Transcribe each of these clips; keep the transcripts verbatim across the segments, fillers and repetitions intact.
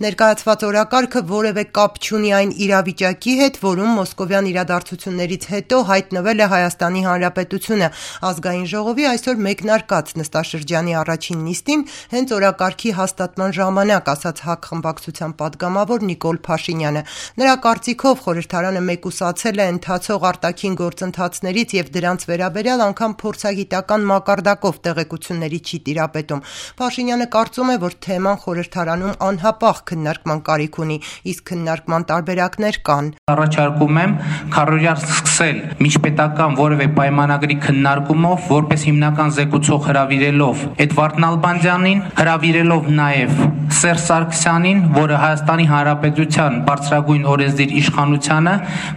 Ներկայացված օրակարգը որևէ կապ չունի այն իրավիճակի հետ, որում մոսկովյան իրադարձություններից հետո հայտնվել է Հայաստանի Հանրապետությունը։ Ազգային ժողովի այսօր մեկնարկած նստաշրջանի առաջին նիստին հենց օրակարգի հաստատման ժամանակ ասաց ՀԱԿ խմբակցության պատգամավոր Նիկոլ Փաշինյանը։ Նրա կարծիքով խորհրդարանը մեկուսացել է ընթացող արտաքին գործընթացներից եւ դրանց վերաբերյալ անգամ փորձագիտական մակարդակով տեղեկությունների չի տիրապետում։ Փաշինյանը կարծում է, որ թեման խորհրդարանում անհապաղ քննարկման կարիք ունի, իսկ քննարկման տարբերակներ կան։ Առաջարկում եմ քառօրյա սկսել միջպետական որևէ պայմանագրի քննարկումով, որպես հիմնական զեկուցող հրավիրելով Էդվարդ Նալբանդյանին, հրավիրելով նաև Սերժ Սարգսյանին, որը Հայաստանի Հանրապետության բարձրագույն օրենսդիր իշխանությանը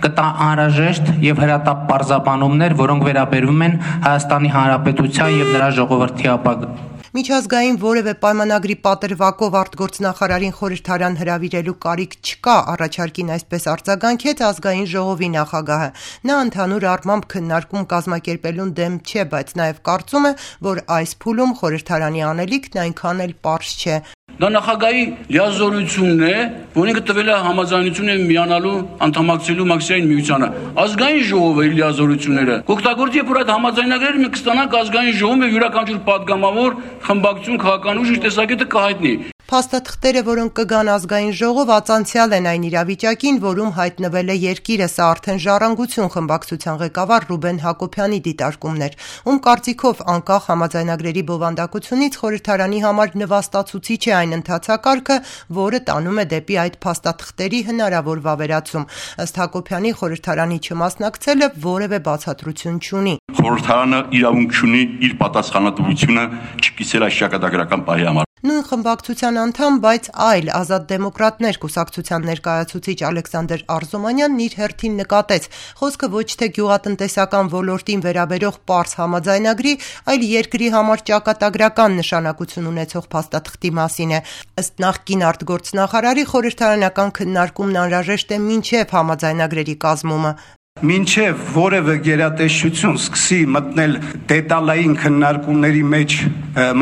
կտա անհրաժեշտ եւ հրատապ պարզաբանումներ, որոնք վերաբերում են Հայաստանի Հանրապետության եւ նրա ժողովրդի ապագային։ Միջազգային որևէ պայմանագրի պատրվակով արտգործնախարարին խորհրդարան հրավիրելու կարիք չկա, առաջարկին այսպես արձագանքեց ազգային ժողովի նախագահը։ Նա ընդհանուր առմամբ քննարկում կազմակերպելուն դեմ չէ, բայց նաև կարծում է, որ այս փուլում խորհրդարանի անելիքն այնքան էլ պարզ չէ։ Դա նախագահի լիազորությունն է, որին տվել է համաձայնությունը միանալու անդամակցելու Մաքսային միությանը։ Ազգային ժողովը իր լիազորությունները կօգտագործի, որ այդ համաձայնագրերը մենք կստանանք ազգային ժողովում եւ յուրաքանչյուր պատգամավոր խմբակցություն քաղաքական ուժ իր տեսակետը կհայտնի։ Փաստաթղթերը, որոնք կգան ազգային ժողով, ածանցյալ են այն իրավիճակին, որում հայտնվել է երկիրը, սա արդեն ժառանգություն խմբակցության ղեկավար Ռուբեն Հակոբյանի դիտարկումներ, ում կարծիքով անկախ համաձայնագրերի բովանդակությունից խորհրդարանի համար նվաստացուցիչ է այն ընթացակարգը, որը տանում է դեպի այդ փաստաթղթերի հնարավոր վավերացում։ Ըստ Հակոբյանի խորհրդարանի չմասնակցելը որևէ բացատրություն չունի։ Խորհրդարանը իրավունք չունի իր պատասխանատվությունը չկիսել այս ճակատագրական պահի համար։ Նույն խմբակցության անդամ, բայց այլ ազատ դեմոկրատներ կուսակցության ներկայացուցիչ Ալեքսանդր Արզումանյանն իր հերթին նկատեց, խոսքը ոչ թե գյուղատնտեսական ոլորտին վերաբերող պարզ համաձայնագրի, այլ երկրի համար ճակատագրական նշանակություն ունեցող փաստաթղթի մասին է։ Ըստ նախկին արտգործնախարարի խորհրդարանական քննարկումն անհրաժեշտ է մինչև համաձայնագրերի կազմումը։ Մինչև որևէ գերատեսչություն սկսի մտնել դետալային քննարկումների մեջ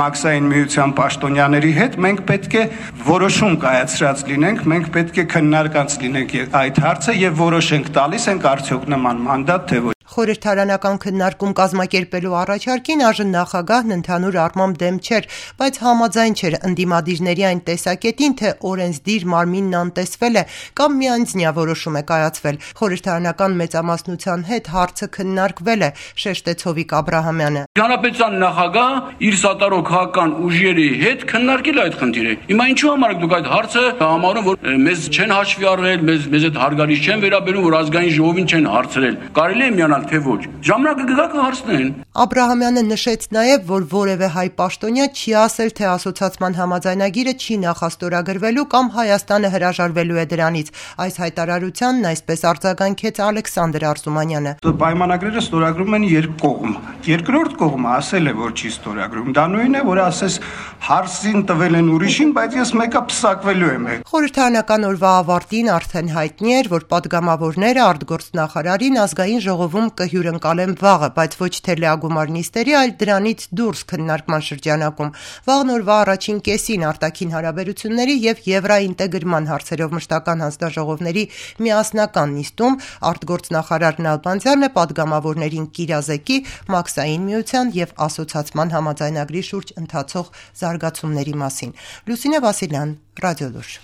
Մաքսային միության պաշտոնյաների հետ, մենք պետք է որոշում կայացրած լինենք, մենք պետք է քննարկած լինենք այդ հարցը եւ որոշենք տալիս ենք արդյոք նման մանդատ թե ոչ։ Խորհրդարանական քննարկում կազմակերպելու առաջարկին այժմ նախագահն ընդհանուր առմամբ դեմ չէր, բայց համաձայն չէր ընդդիմադիրների այն տեսակետին, թե օրենսդիր մարմինն անտեսվել է կամ միանձնյա որոշում է կայացվել։ Խորհրդարանական մեծամասնության հետ հարցը քննարկվել է, շեշտեց Հովիկ Աբրահամյանը։ Հանրապետության նախագահ իր սատարող քաղաքական ուժերի հետ քննարկել այդ խնդիրը։ Հիմա ինչու համար դուք այդ հարցը համարում, որ մեզ չեն հաշվի առնել, մեզ մեզ այդ հարգալից չեն վերաբերում, որ ազգային ժողովին չեն հարցրել։ Կարելի է միանալ թե ոչ։ Ժամանակը կգա կհարցնեն։ Աբրահամյանը նշեց նաև, որ որևէ հայ պաշտոնյա չի ասել, թե ասոցացման համաձայնագիրը չի նախաստորագրվելու կամ Հայաստանը հրաժարվելու է դրանից։ Այս հայտարարությանն այսպես արձագանքեց Ալեքսանդր Արզումանյանը։ Պայմանագրերը ստորագրում են երկկողմ։ Երկրորդ կողմը ասել է, որ չի ստորագրում։ Դա նույնն է, որ ասես հարցին տվել են ուրիշին, բայց ես մեկը փսակվելու եմ։ Խորհրդարանական օրվա ավարտին արդեն հայտնի էր, որ պատգամավորները արտգործնախարարին ազգային ժողովում կհյուրընկալեն վաղը, բայց ոչ թե լիագումար նիստերի, այլ դրանից դուրս քննարկման շրջանակում։ Վաղն օրվա առաջին կեսին արտաքին հարաբերությունների եւ եվրաինտեգրման հարցերով մշտական հանձնաժողովների միասնական նիստում արտգործնախարար Նալբանդյանը պատգամավորներին կիրազեկի Մաքսային միության եւ ասոցացման համաձայնագրի շուրջ ընթացող զարգացումների մասին։ Լուսինե Վասիլյան, Ռադիոլուր։